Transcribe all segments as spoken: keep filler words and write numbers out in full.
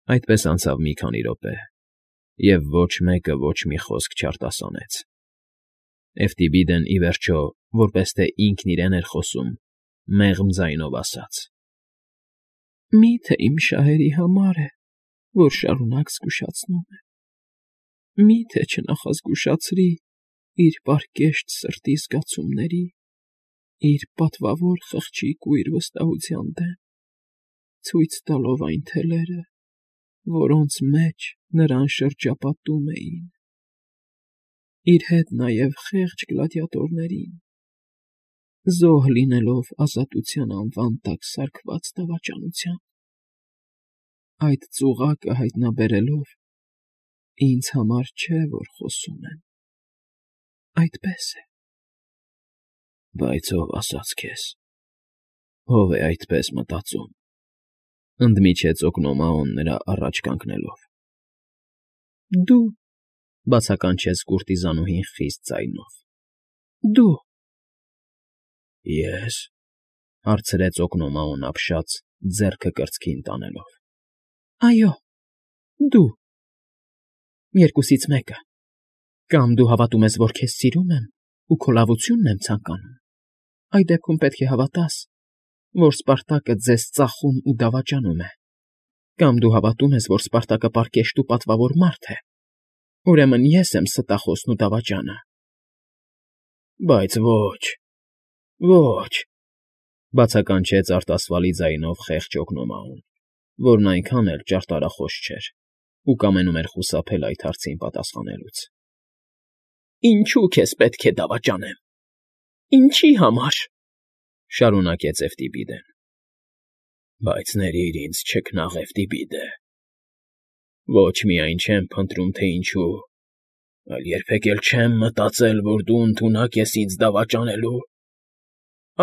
Այդպես անցավ մի քանի րոպե, և ոչ մեկը ոչ մի խոսք չարտասանեց. Էֆթիբիդեն, ի վերջո, որպես թե ինքն իրեն էր խոսում, մեղմ ձայնով ասաց. ֊ Մի՞թե իմ շահերի համար է, որ շարունակ զգուշացնում է, մի՞թե չնախազգուշացրի իր պարկեշտ սրտի զգացումների, իր պատվավոր խղճի կույր վստահության դեմ, ցույց տալով այն թելերը, որոնց մեջ նրան շրջապատում էին, իր հետ նաև խեղճ գլադիատորներին, զոհ լինելով ազատության անվան տակ սարքված դավաճանության, այդ ծուղակը հայտնաբերելով, ինձ համար չէ, որ խոսում եմ, այդպես է։ ֊ Բայց ո՞վ ասաց քեզ, ո՞վ է այդպես մտածում,֊ ընդմիջեց Օկնոմաոն նրա առաջ կանգնելով։ ֊ Դու,֊ բացականչեց կուրտիզանուհին խիստ ձայնով,֊ դու… ֊ Ե՞ս,֊ հարցրեց Օկնոմաոն ապշած, ձեռքը կրծքին տանելով։ ֊ Այո, դու… Երկուսից մեկը. կամ դու հավատում ես, որ քեզ սիրում եմ ու քո լավությունն եմ ցանկանում, այդ դեպքում պետք է հավատաս, որ Սպարտակը ձեզ ծախում ու դավաճանում է, կամ դու հավատում ես, որ Սպարտակը պարկեշտ ու պատվավոր մարդ է, ուրեմն ես եմ ստախոսն ու դավաճանը։ ֊ Բայց ոչ, ոչ,֊ բացականչեց արտասվալի ձայնով խեղճ Օկնոմաոն, որն այնքան էլ ճարտարախոս չէր ու կամենում էր խուսափել այդ հարցին պատասխանելուց։ ֊ Ինչո՞ւ քեզ պետք է դավաճանեմ, ինչի՞ համար,֊ շարունակեց Էֆթիբիդեն։ ֊ Բայց ներիր ինձ, չքնաղ Էֆթիբիդե, ոչ միայն չեմ փնտրում, թե ինչու, այլ երբեք էլ չեմ մտածել, որ դու ընդունակ ես ինձ դավաճանելու,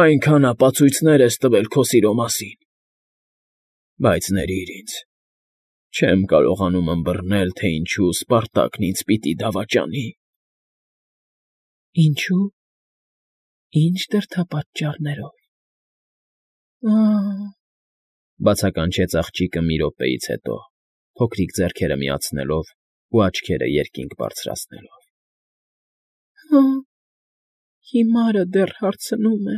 այնքան ապացույցներ ես տվել քո սիրո մասին, բայց ներիր ինձ, չեմ կարողանում ըմբռնել, թե ինչու Սպարտակն ինձ պիտի դավաճանի։ ֊ Ինչո՞ւ, ի՞նչ դրդապատճառներով։ Ա՜… բացականչեց աղջիկը մի րոպեից հետո, փոքրիկ ձեռքերը միացնելով ու աչքերը երկինք բարձրացնելով։ ֊ Հը՜, հիմարը դեռ հարցնում է,֊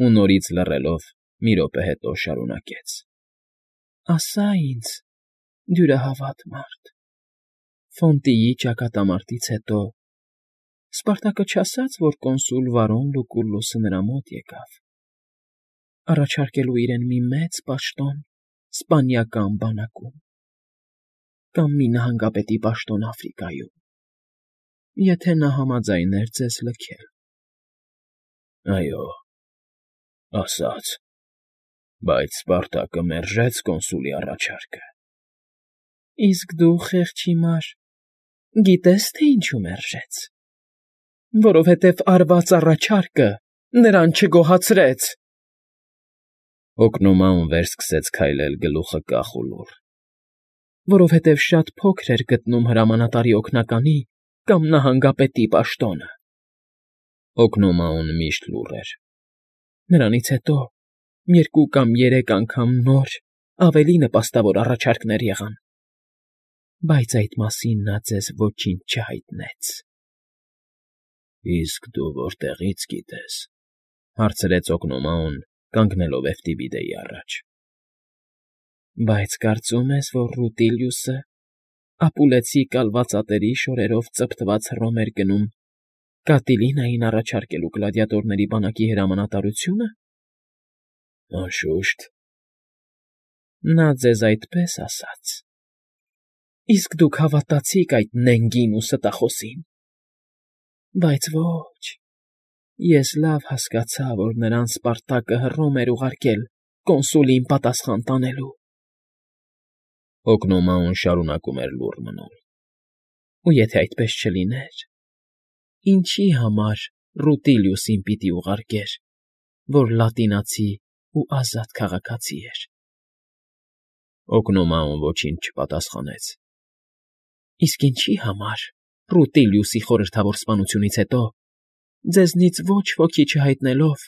ու նորից լռելով, մի րոպե հետո շարունակեց. ֊ Ասա ինձ, դյուրահավատ մարդ, Ֆոնտիի ճակատամարտից հետո Սպարտակը չասա՞ց, որ կոնսուլ Վարոն Լուկուլլուսը նրա մոտ եկավ, առաջարկելու իրեն մի մեծ պաշտոն սպանիական բանակում, կամ մի նահանգապետի պաշտոն Աֆրիկայում, եթե նա համաձայներ ձեզ լքել։ ֊ Այո, ասաց, բայց Սպարտակը մերժեց կոնսուլի առաջարկը։ ֊ Իսկ դու, խեղճ հիմար, գիտե՞ս, թե ինչու մերժեց։ Որովհետև արված առաջարկը նրան չգոհացրեց։ Օկնոմաոն վերսկսեց քայլել գլուխը կախ ու լուռ։ ֊ Որովհետև շատ փոքր էր գտնում հրամանատարի օգնականի կամ նահանգապետի պաշտոնը։ Օկնոմաոն միշտ լուռ էր։ Նրանից հետո երկու կամ երեք անգամ նոր, ավելի նպաստավոր առաջարկներ եղան, բայց այդ մասին նա ձեզ ոչինչ չհայտնեց։ ֊ Իսկ դու որտեղի՞ց գիտես,֊ հարցրեց Օկնոմաոն, կանգնելով Էֆթիբիդեի առաջ։ ֊ Բայց կարծում ես, որ Ռուտիլիուսը ապուլեցի կալվածատերի շորերով ծպտված հռոմ էր գնում Կատիլինային առաջարկելու գլադիատորների բանակի հրամանատարությունը։ ֊ Անշուշտ։ ֊ Նա ձեզ այդպես ասաց, իսկ դուք հավատացիք այդ նենգին ու ստախոսին։ Բայց ոչ, ես լավ հասկացա, որ նրան Սպարտակը հռոմ էր ուղարկել կոնսուլին պատասխան տանելու։ Օկնոմաոն շարունակում էր լուռ մնալ։ Ու եթե այդպես չլիներ, ինչի համար Ռուտիլիուսին պիտի ուղարկեր, որ լատինացի ու ազատ քաղաքացի էր։ Օկնոմաոն ոչինչ չպատասխանեց։ ֊ Իսկ ինչի համար, Ռուտիլիուսի խորհրդավոր սպանությունից հետո, ձեզնից ոչ ոքի չհայտնելով,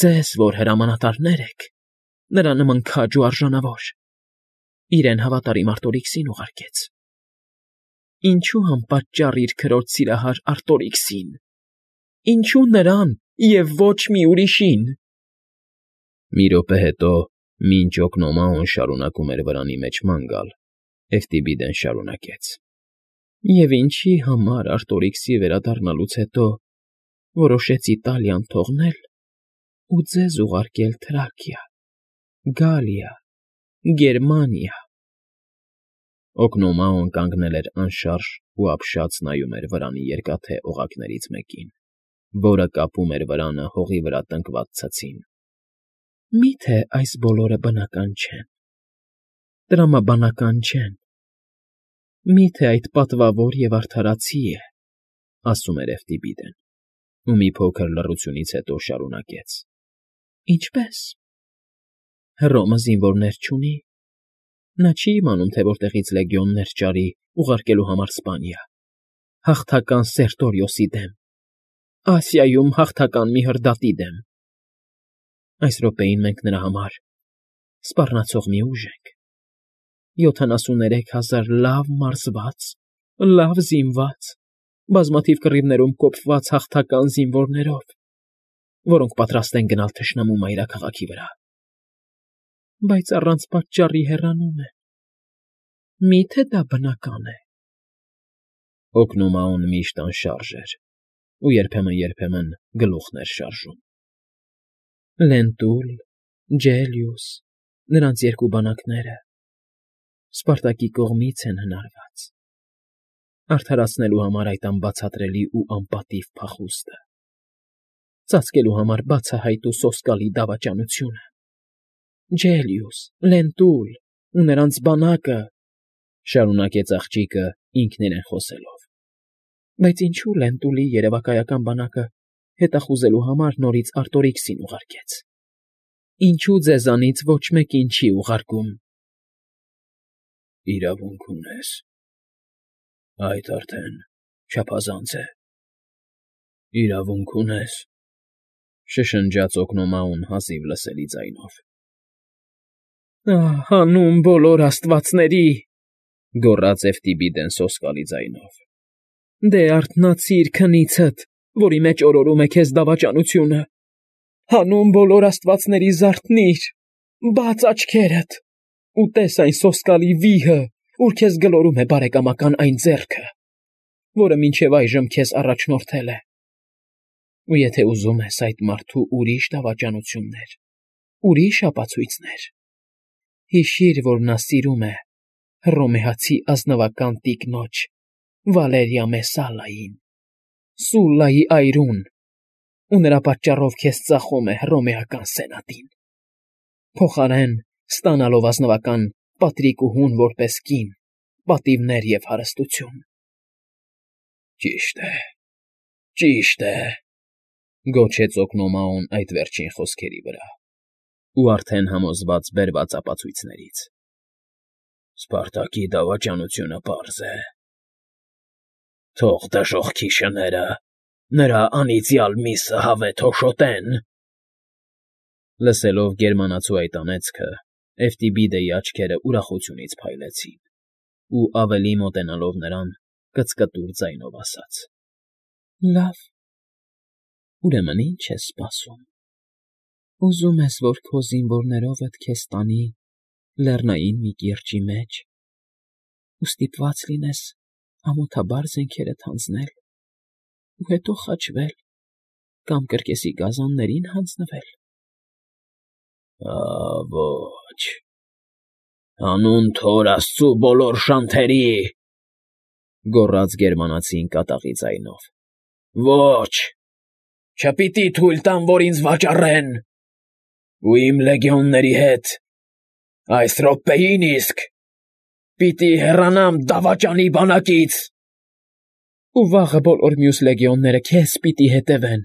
ձեզ, որ հրամանատարներ եք, նրա նման քաջ ու արժանավոր, իրեն հավատարիմ Արտորիքսին ուղարկեց։ Ինչու անպատճառ իր քրոջ սիրահար Արտորիքսին։ Ինչու նրան և ոչ մի ուրիշին։ Մի րոպե հետո, մինչ Օկնոմաոն շարունակում էր վրանի մեջ ման գալ, Էֆտիբիդեն շարունակեց. Եվ ինչի համար Արտորիքսի վերադառնալուց հետո որոշեցի Տալիան թողնել ու ձեզ ուղարկել Թրաքիա, Գալիա, Գերմանիա։ Օկնոմաոն կանգնել էր անշարժ ու ապշած նայում էր վրանի երկաթե օղակներից մեկին, որը կապում էր վրանը հողի վրա տնկված ցցին։ Մի՞թե այս բոլորը բնական չեն, տրամաբանական չեն։ Մի՞թե այդ պատվավոր և արդարացի է, ասում էր Էֆտիբիդեն, ու մի փոքր լռությունից հետո շարունակեց. Ինչպե՞ս։ Հռոմը զինվորներ չունի։ Նա չի իմանում, թե որտեղից լեգիոններ ճարի ուղարկելու համար Սպանիա, հաղթական Սերտորիոսի դեմ, Ասիայում հաղթական մի հրդատի դեմ։ Այս րոպեին մենք նրա համար սպառնացող մի ուժ ենք, յոթանասուններեք հազար լավ մարզված, լավ զինված, բազմաթիվ կռիվներում կոպված հաղթական զինվորներով, որոնք պատրաստ են գնալ թշնամու մայրաքաղաքի վրա, բայց առանց պատճառի հեռանում են։ Մի՞թե դա բնական է։ Օկնոմաոն միշտ անշարժ էր, ու երբեմն֊երբեմն գլուխն էր շարժում։ Լենտուլ, Ջելիուս, նրանց երկու բանակները Սպարտակի կողմից են հնարված, արդարացնելու համար այդ անբացատրելի ու անպատիվ փախուստը, ծածկելու համար բացահայտ ու սոսկալի դավաճանությունը։ Ջելիուս, Լենտուլ ու նրանց բանակը, շարունակեց աղջիկը ինքն իրեն խոսելով։ Բայց ինչու Լենտուլի երևակայական բանակը հետախուզելու համար նորից Արտորիքսին ուղարկեց։ Ինչու ձեզանից ոչ մեկին չի ուղարկում։ Իրավունք ունես։ Այդ արդեն չափազանց է։ Իրավունք ունես, շշնջաց Օկնոմաոն հազիվ լսելի ձայնով։ Ահ, հանուն բոլոր աստվածների, գոռաց Էֆտիբիդեն սոսկալի ձայնով։ Դե արթնացիր քնիցդ, որի մեջ օրորում է քեզ դավաճանությունը։ Հանուն բոլոր աստվածների զարթնիր, բաց աչքերդ, ու տես այն սոսկալի վիհը, ուր քեզ գլորում է բարեկամական այն ձեռքը, որը մինչև այժմ քեզ առաջնորդել է։ Ու եթե ուզում ես այդ մարդու ուրիշ դավաճանություններ, ուրիշ ապացույցներ, հիշիր, որ նա սիրում է հռոմեացի ազնվական տիկնոջ Վալերիա Մեսալային, Սուլլայի այրուն, ու նրա պատճառով քեզ ծախում է հռոմեական սենատին, փոխարեն ստանալով ազնվական Պատրիկուհուն որպես կին, պատիվներ և հարստություն։ Ճիշտ է, ճիշտ է, գոչեց Օկնոմաոն այդ վերջին խոսքերի վրա, ու արդեն համոզված բերված ապացույցներից։ Սպարտակի դավաճանությունը պարզ է։ Թող դժոխքի շները նրա անիծյալ միսը հավեթ հոշոտեն։ Լսելով գերմանացու այդ անեծքը, Էֆտիբիդեի աչքերը ուրախությունից փայլեցին, ու ավելի մոտենալով նրան, կծկտուր ձայնով ասաց. Լավ, ուրեմն ինչ ես սպասում։ Ուզում ես, որ քո զինվորներովդ քեզ տանի լեռնային մի կիրճի մեջ, ու ստիպված լինես ամոթաբար զենքերդ հանձնել, ու հետո խաչվել կամ կրկեսի գազաններին հանձնվել։ Ա, ոչ, հանուն Թոր Աստծու բոլոր շանթերի, գոռաց գերմանացին կատաղի ձայնով, ոչ, չպիտի թույլ տամ, որ ինձ վաճառեն, ու իմ լեգիոնների հետ այս րոպեին իսկ պիտի հեռանամ դավաճանի բանակից։ Ու վաղը բոլոր մյուս լեգիոնները քեզ պիտի հետևեն,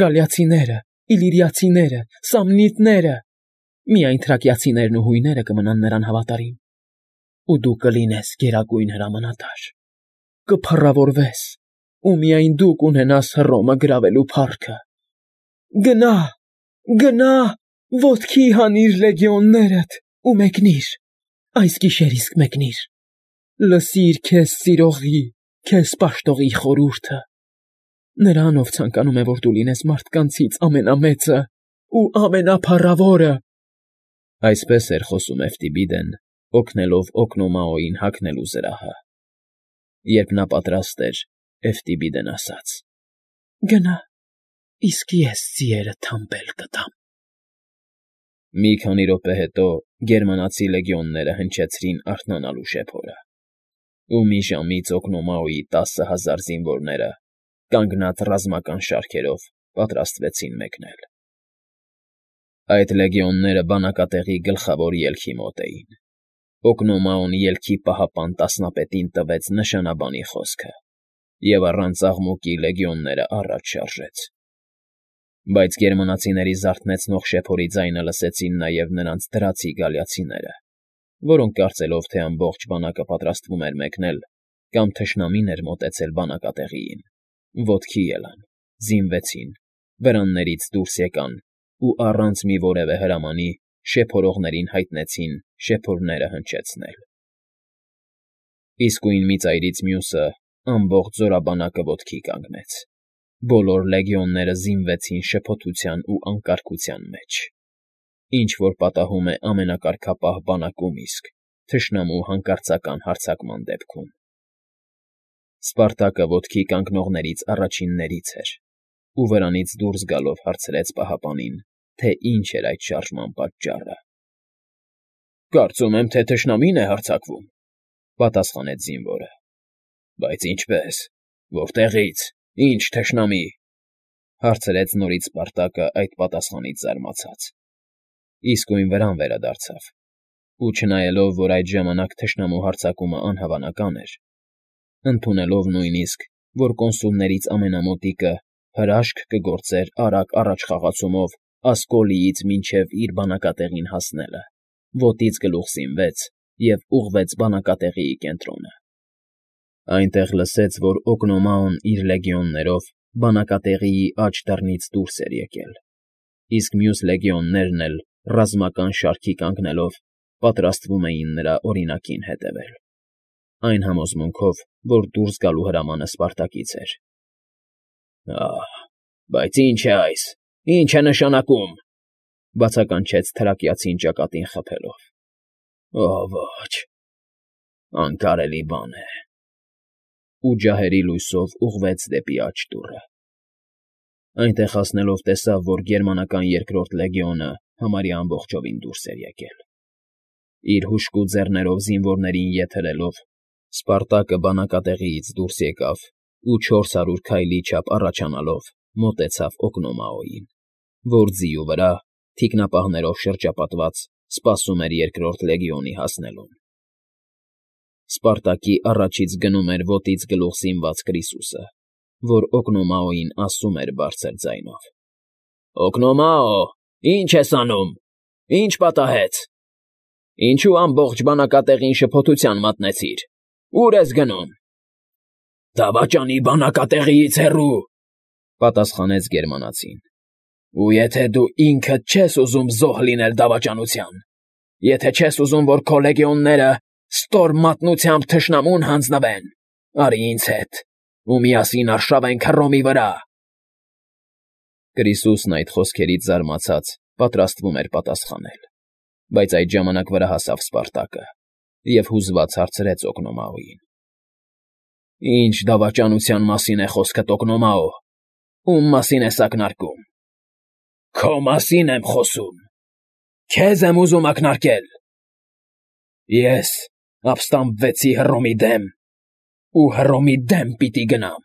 գալիացիները, իլիրիացիները, սամնիտները, միայն թրակիացիներն ու հույները կմնան նրան հավատարիմ, ու դու կլինես գերագույն հրամանատար, կփառավորվես, ու միայն դու կունենաս Հռոմը գրավելու փառքը։ Գնա, գնա, ոտքի հանիր լեգիոններդ ու մեկնիր, այս գիշեր իսկ մեկնիր, լսիր քեզ սիրողի, քեզ պաշտողի խորհուրդը, նրան, ով ցանկանում է, որ դու լինես մարդկանցից ամենամեծը ու ամենափառավորը։ Այսպես էր խոսում Էֆտիբիդեն, օգնելով Օկնոմաոյին հագնելու զրահը։ Երբ նա պատրաստ էր, Էֆտիբիդեն ասաց. Գնա, իսկ ես ձիերը թամբել կտամ։ Մի քանի րոպե հետո գերմանացի լեգիոնները հնչեցրին արթնանալու շեփորը, ու մի ժամից Օկնոմաոյի տասը հազար զինվորները, կանգնած ռազմական շարքերով, պատրաստվեցին մեկնել։ Այդ լեգիոնները բանակատեղի գլխավոր ելքի մոտ էին։ Օկնոմաոն ելքի պահապան տասնապետին տվեց նշանաբանի խոսքը, և առանց աղմուկի լեգիոնները առաջ շարժեց։ Բայց գերմանացիների զարթնեցնող շեփորի ձայնը լսեցին նաև նրանց դրացի գալիացիները, որոնք կարծելով, թե ամբողջ բանակը պատրաստվում էր մեկնել, կամ թշնամին էր մոտեցել բանակատեղիին, ոտքի ելան, զինվեցին, վրաններից դուրս եկան ու առանց մի որևէ հրամանի շեփորողներին հայտնեցին շեփորները հնչեցնել։ Իսկույն մի ծայրից մյուսը ամբողջ զորաբանակը ոտքի կանգնեց։ Բոլոր լեգիոնները զինվեցին շփոթության ու անկարգության մեջ, ինչ որ պատահում է ամենակարգապահ բանակում իսկ, թշնամու հանկարծական հարձակման դեպքում։ Սպարտակը ոտքի կանգնողներից առաջիններից էր, ու վրանից դուրս գալով հարցրեց պահապանին, թե ինչ էր այդ շարժման պատճառը։ Կարծում եմ, թե թշնամին է հարձակվում, պատասխանեց զինվորը։ Բայց ինչպե՞ս, որտեղից, ինչ թշնամի, հարցրեց նորից Սպարտակը այդ պատասխանից զարմացած։ Իսկույն վրան վերադարձավ, ու չնայելով, որ այդ ժամանակ թշնամու հարձակումը անհավանական էր, ընդունելով նույնիսկ, որ կոնսուլներից ամենամոտիկը հրաշք կգործեր արագ առաջխաղացումով Ասկոլիից մինչև իր բանակատեղին հասնելը, ոտից գլուխ զինվեց և ուղղվեց բանակատեղիի կենտրոնը։ Այնտեղ լսեց, որ Օկնոմաոն իր լեգիոններով բանակատեղիի աջ դռնից դուրս էր եկել, իսկ մյուս լեգիոններն էլ ռազմական շարքի կանգնելով պատրաստվում էին նրա օրինակին հետևել, այն համոզմունքով, որ դուրս գալու հրամանը Սպարտակից էր։ Ահ, բայց ի՞նչ է այս, ի՞նչ է նշանակում, բացականչեց թրակիացին ճակատին խփելով։ Օ ոչ, անկարելի բան է։ Ու ջահերի լույսով ուղղվեց դեպի աջ դուռը։ Այնտեղ հասնելով տեսավ, որ գերմանական երկրորդ լեգիոնը համարյա ամբողջովին դուրս էր եկել։ Իր հուժկու ձեռներով զինվորներին ետ հրելով, Սպարտակը բանակատեղիից դուրս եկավ ու չորս հարյուր քայլի չափ առաջանալով մոտեցավ Օկնոմաոյին, որ ձիու վրա, թիկնապահներով շրջապատված, սպասում էր երկրորդ լեգիոնի հասնելուն։ Սպարտակի առաջից գնում էր ոտից գլուխ զինված Կրիսուսը, որ Օկնոմաոյին ասում էր բարձր ձայնով. Օկնոմաո, ի՞նչ ես անում, ի՞նչ պատահեց, ինչու ամբողջ բանակատեղին շփոթության մատնեցիր, ո՞ւր ես գնում։ Դավաճանի բանակատեղիից հեռու, պատասխանեց գերմանացին։ Ու եթե դու ինքդ չես ուզում զոհ լինել դավաճանության, եթե չես ուզում, որ քո լեգիոնները ստոր մատնությամբ թշնամուն հանձնվեն, արի ինձ հետ, ու միասին արշավենք Հռոմի վրա։ Կրիսուսն այդ խոսքերից զարմացած պատրաստվում էր պատասխանել, բայց այդ ժամանակ վրա հասավ Սպարտակը և հուզված հարցրեց Օկնոմաոյին. Ինչ դավաճանության մասին է խոսքդ, Օկնոմաո, ում մասին ես ակնարկում։ Քո մասին եմ խոսում, քեզ եմ ուզում ակնարկել։ Ես ապստամբվեցի Հռոմի դեմ, ու Հռոմի դեմ պիտի գնամ,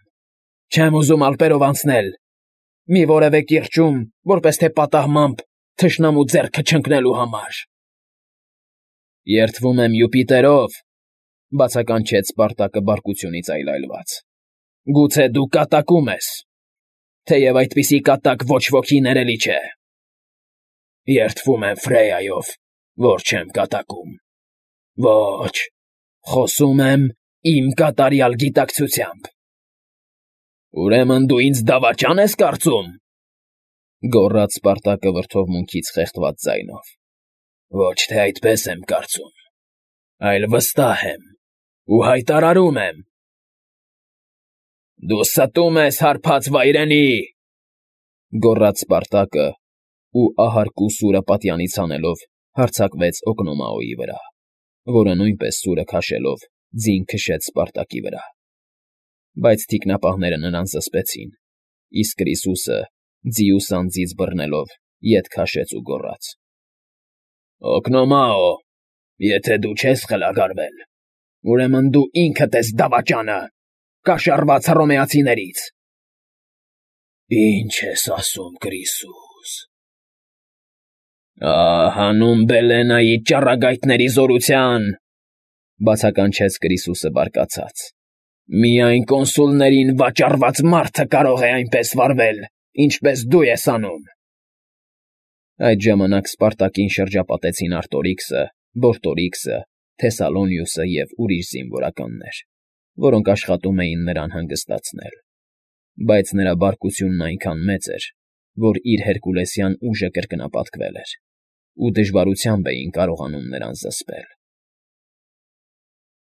չեմ ուզում ալպերով անցնել, մի որևէ կիրճում, որպես թե պատահմամբ թշնամու ձեռքը չընկնելու համար։ Երդվում եմ Յուպիտերով, բացականչեց Սպարտակը բարկությունից այլայլված։ Գուցե դու կատակում ես, թեև այդպիսի կատակ ոչ ոքի ներելի չէ։ Երդվում եմ Ֆրեյայով, որ չեմ կատակում։ Ոչ, խոսում եմ իմ կատարյալ գիտակցությամբ։ Ուրեմն դու ինձ դավաճա՞ն ես կարծում, գոռաց Սպարտակը վրդովմունքից խեղդված ձայնով։ Ոչ թե այդպես եմ կարծում։ այլ վստահ եմ ու հայտարարում եմ. «Դու ստում ես, հարբած վայրենի», գոռաց Սպարտակը ու ահարկու սուրը պատյանից հանելով հարձակվեց Օկնոմաոյի վրա, որը նույնպես սուրը քաշելով ձին քշեց Սպարտակի վրա։ Բայց թիկնապահները նրան զսպեցին, իսկ Կրիսուսը ձիուց անձից բռնելով ետ քաշեց ու գոռաց. «Օկնոմաո, եթե դու չես խելագարվել, ուրեմն դու ինքդ ես դավաճանը, կաշառված հռոմեացիներից»։ «Ի՞նչ ես ասում, Կրիսուս»։ «Ա՜, հանուն Բելենայի ճառագայթների զորության,֊ բացականչեց Կրիսուսը բարկացած,֊ միայն կոնսուլներին վաճառված մարդը կարող է այնպես վարվել, ինչպես դու ես անում»։ Այդ ժամանակ Սպարտակին շրջապատեցին Արտորիքսը, Բորտորիքսը, Թեսալոնիուսը և ուրիշ զինվորականներ, որոնք աշխատում էին նրան հանգստացնել։ Բայց նրա բարկությունն այնքան մեծ էր, որ իր հերկուլեսյան ուժը կրկնապատկվել էր, ու դժվարությամբ էին կարողանում նրան զսպել։